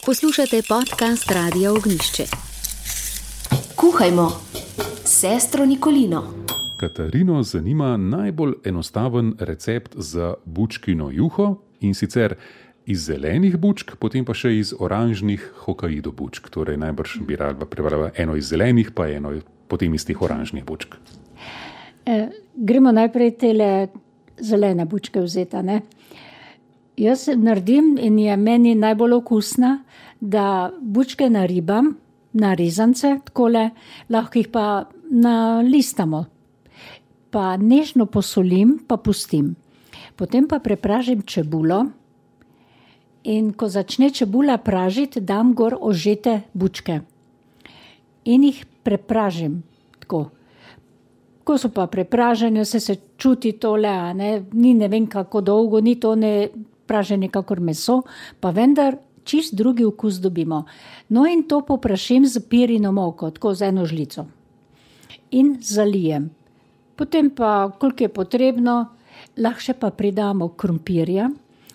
Poslušate podcast Radia Ognišče. Kuhajmo s sestro Nikolino. Katarino zanima najbolj enostaven recept za bučkino juho, in sicer iz zelenih bučk, potem pa še iz oranžnih Hokkaido bučk. Torej najbrž bi rada prebrala eno iz zelenih, pa eno potem iz teh oranžnih bučk. Gremo najprej tele zelene bučke vzeti, ne? Jaz naredim in je meni najbolj okusna, da bučke naribam na rezance, takole, lahko jih pa nalistamo. Pa nežno posolim, pa pustim. Potem pa prepražim čebulo in ko začne čebula pražiti, dam gor ožete bučke. In jih prepražim tako. Ko so pa prepražene, se čuti tole, ni ne vem kako dolgo, ni to ne praženje kakor meso, pa vendar čist drugi okus dobimo. No in to poprašim z pirino moko, tako z eno žlico. In zalijem. Potem pa, koliko je potrebno, lahko še pa pridamo krompirja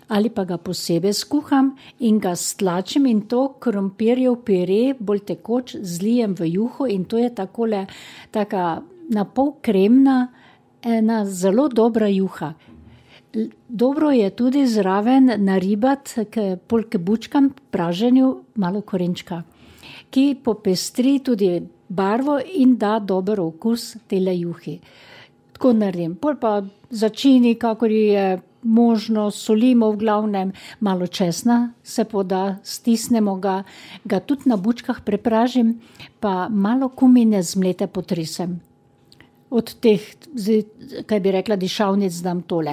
ali pa ga posebej skuham in ga stlačim in to krompirjev pire bolj tekoč zlijem v juho in to je takole, taka napol kremna, ena zelo dobra juha. Dobro je tudi zraven naribati k bučkam praženju malo korenčka, ki popestri tudi barvo in da dober okus tele juhi. Tako naredim. Pol pa začini, kakor je možno, solimo v glavnem, malo česna se poda, stisnemo ga tudi na bučkah prepražim, pa malo kumine zmlete potresem. Od teh, kaj bi rekla, dišavnic dam tole.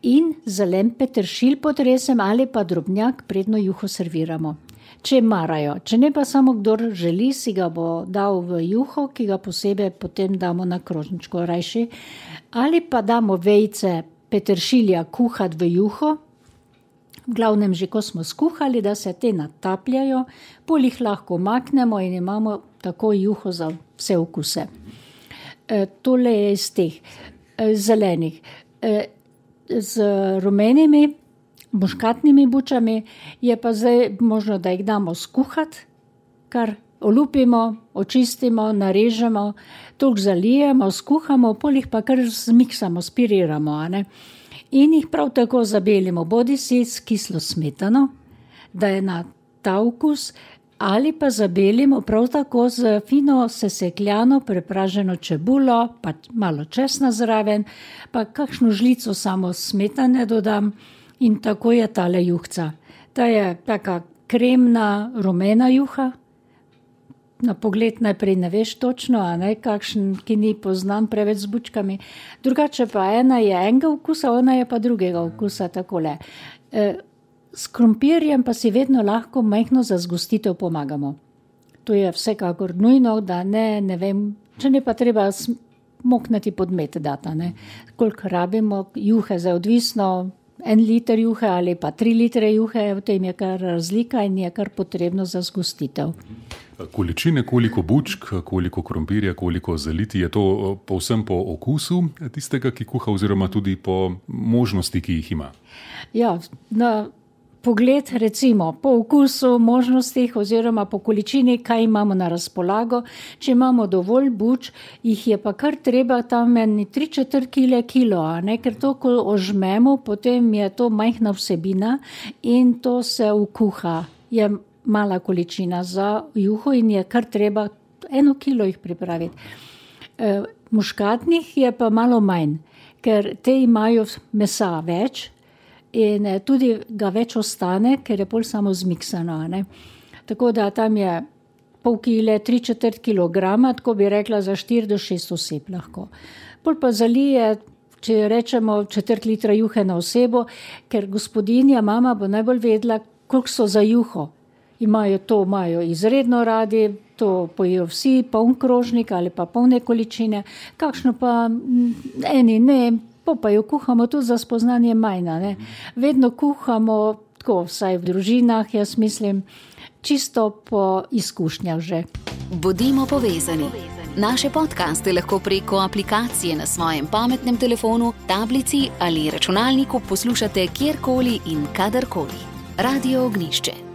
In zelen peteršilj potresem ali pa drobnjak, predno juho serviramo. Če marajo, če ne pa samo kdor želi, si ga bo dal v juho, ki ga posebej potem damo na krožničko rajši. Ali pa damo vejice peteršilja kuhati v juho, v glavnem že ko smo skuhali, da se te natapljajo, pol jih lahko maknemo in imamo tako juho za vse okuse. Tole je iz teh zelenih. Z rumenimi, muškatnimi bučami je pa zdaj možno, da jih damo skuhati, kar olupimo, očistimo, narežemo, toliko zalijemo, skuhamo, pol jih pa kar zmiksamo, spiriramo. In jih prav tako zabelimo, bodisi s kislo smetano, da je na ta okus, ali pa zabelimo prav tako z fino sesekljano prepraženo čebulo, pa malo česna zraven, pa kakšno žlico samo smetane dodam in tako je tale juhca. Ta je taka kremna, rumena juha. Na pogled najprej ne veš točno, kakšen, ki ni poznan preveč z bučkami. Drugače pa ena je enega okusa, ona je pa drugega okusa, takole. S krompirjem pa si vedno lahko majhno za zgostitev pomagamo. To je vsekakor nujno, da ne vem, če ne pa treba moknati podmet data, koliko rabimo juhe, za odvisno 1 liter juhe ali pa 3 litre juhe, v tem je kar razlika in je kar potrebno za zgostitev. Količine, koliko bučk, koliko krompirja, koliko zaliti, je to povsem po okusu tistega, ki kuha, oziroma tudi po možnosti, ki jih ima? Ja, na pogled recimo po okusu, možnostih oziroma po količini, kaj imamo na razpolago. Če imamo dovolj buč, jih je pa kar treba tam 3/4 kilo, ker to, ko ožmemo, potem je to majhna vsebina in to se vkuha. Je mala količina za juho in je kar treba 1 kilo jih pripraviti. Muškatnih je pa malo manj, ker te imajo mesa več, in tudi ga več ostane, ker je pol samo zmiksano. Tako da tam je pol kile, 3/4 kilograma, tako bi rekla za 4 do 6 oseb lahko. Pol pa zalije, če rečemo 1/4 litra juhe na osebo, ker gospodinja, mama bo najbolj vedela, koliko so za juho. Imajo izredno radi, to pojejo vsi, poln krožnik ali pa polne količine, kakšno pa eni ne, pa jo kuhamo tudi za spoznanje majna. Vedno kuhamo, tako vsaj v družinah, jaz mislim, čisto po izkušnjah že. Bodimo povezani. Naše podcaste lahko preko aplikacije na svojem pametnem telefonu, tablici ali računalniku poslušate kjerkoli in kadarkoli. Radio Ognišče.